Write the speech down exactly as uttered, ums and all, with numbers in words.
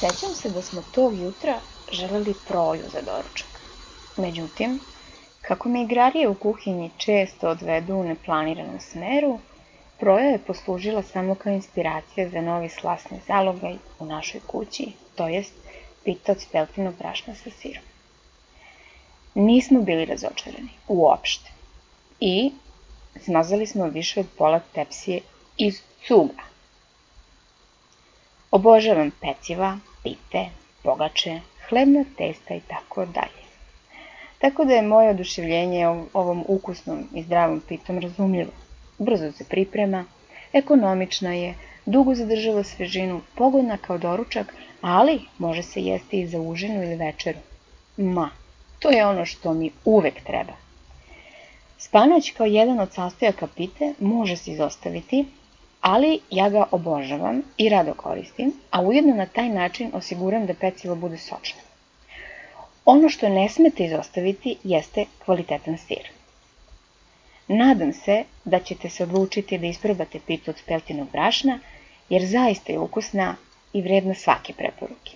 Sećam se da smo tog jutra želeli proju za doručak. Međutim, kako me igrarije u kuhinji često odvedu u neplaniranom smeru, proja je poslužila samo kao inspiracija za novi slasni zalogaj u našoj kući, to jest pita od speltinog brašna sa sirom. Nismo bili razočarani, uopšte. I smazali smo više od pola tepsije iz cuga. Obožavam peciva, pite, pogače, hlebna testa i tako dalje. Tako da je moje oduševljenje ovom ukusnom i zdravom pitom razumljivo. Brzo se priprema, ekonomična je, dugo zadržava svežinu, pogodna kao doručak, ali može se jesti i za užinu ili večeru. Ma, to je ono što mi uvek treba. Spanać kao jedan od sastojaka pite može se izostaviti, ali ja ga obožavam i rado koristim, a ujedno na taj način osiguram da pecivo bude sočno. Ono što ne smete izostaviti jeste kvalitetan sir. Nadam se da ćete se odlučiti da isprobate pitu od speltinog brašna, jer zaista je ukusna i vredna svake preporuke.